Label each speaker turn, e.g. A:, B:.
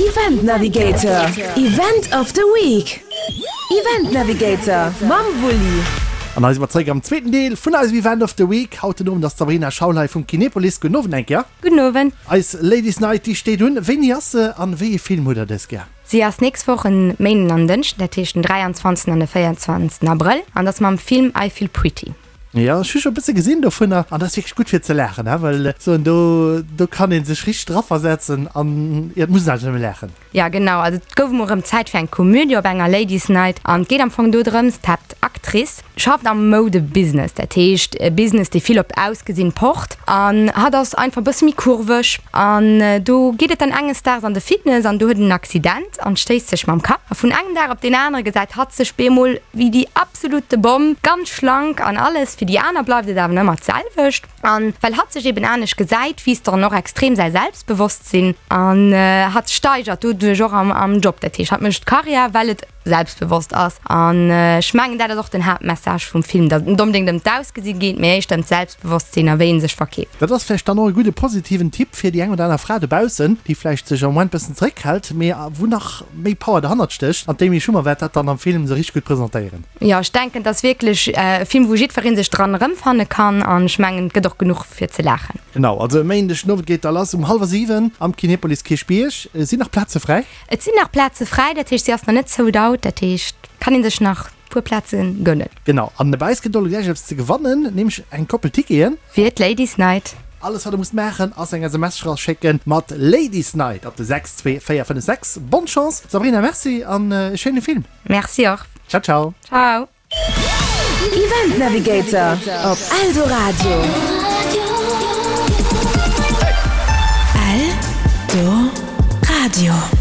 A: Event Navigator, Event of the Week. Event Navigator mam Wulli.
B: An hei si mer zeréck am zweeten Deel vun eisem Event of the Week. Haut den Owend ass d'Sabrina Schaul hei vum Kinepolis. Gudden Owend eng Kéier.
C: Gudden Owend.
B: Eis Ladies Night, déi steet un. Wéini ass se an wéi ee Film hutt der dës Kéier?
C: Si ass nächst Woch en Méinden an Dënschden, dat heescht den 23 an de 24 Abrëll an ass mam Film I Feel Pretty.
B: Jo, ech hu scho e bësse gesinn dovunner an dat ass wierklech gutt fir ze laachen, he, well ech soen, do, do kann ee sech richteg draversetzen an jo, et muss een einfach nëmme laachen.
C: Jo, genau, also et gouf emol erëm Zäit fir eng Komödie op enger Ladies Night an et geet am Fong do drëms, d'Haaptactrice schafft am Moudebusiness, dat heescht e Business, dee vill op d'Ausgesinn pocht an hatt ass einfach e bësse méi kurveg an do geet et dann enges Daags an de Fitness an do huet en en Accident an stéisst sech mam Kapp a vun engem Dag op deen anere gesäit hatt sech bemol wéi déi absolute Bomm, ganz schlank an alles. Fir déi aner bleift et awer ëmmer d'selwecht. An well hatt sech eben anescht gesäit, wiisst dann och extrem säi Selbstbewosstsinn an hatt steigert doduerch och am Job. Dat heescht, hatt mécht Karriär, well et selbstbewosst ass. An ech mengen, dat ass och den Haaptmessage vum Film, datt et net onbedéngt ëm d'Ausgesi geet, mee éischter ëm d'Selbstbewosstsinn a wéi ee sech verkeeft.
B: Dat ass vläicht dann och e gudde positiven Tipp fir déi eng oder aner Fra dobaussen, déi vläicht sech am Moment bëssen zeréckhält, mee wou nach méi Power derhannert stécht. An d'Amy Schumer wäert dat dann am Film esou richteg gutt presentéieren.
C: Jo, ech denken, et ass wierklech e Film, wou jiddweree sech dran erëmfanne kann. An ech mengen, et gëtt och genuch fir ze laachen.
B: Genau, also e Méindeg den Owend geet da lass um hallwer 7 am Kinepolis Kierchbierg. Sinn nach Plaze fräi?
C: Et sinn nach Plaze fräi, dat heescht, si ass nach net sold out. Dat heescht, kann ee sech nach e puer Plaze gönnen.
B: Genau, an bei eis gëtt och elo gläich eppes ze gewannen, nämlech eng Koppel Ticketen.
C: Fir d'Ladies Night.
B: Alles wat der musst maachen ass eng SMS schécken mat Ladies Night op de 62456. Bonne Chance Sabrina, merci an e schéine Film.
C: Merci och.
B: Ciao ciao.
C: Ciao.
A: Event Navigator op Eldoradio. Eldoradio.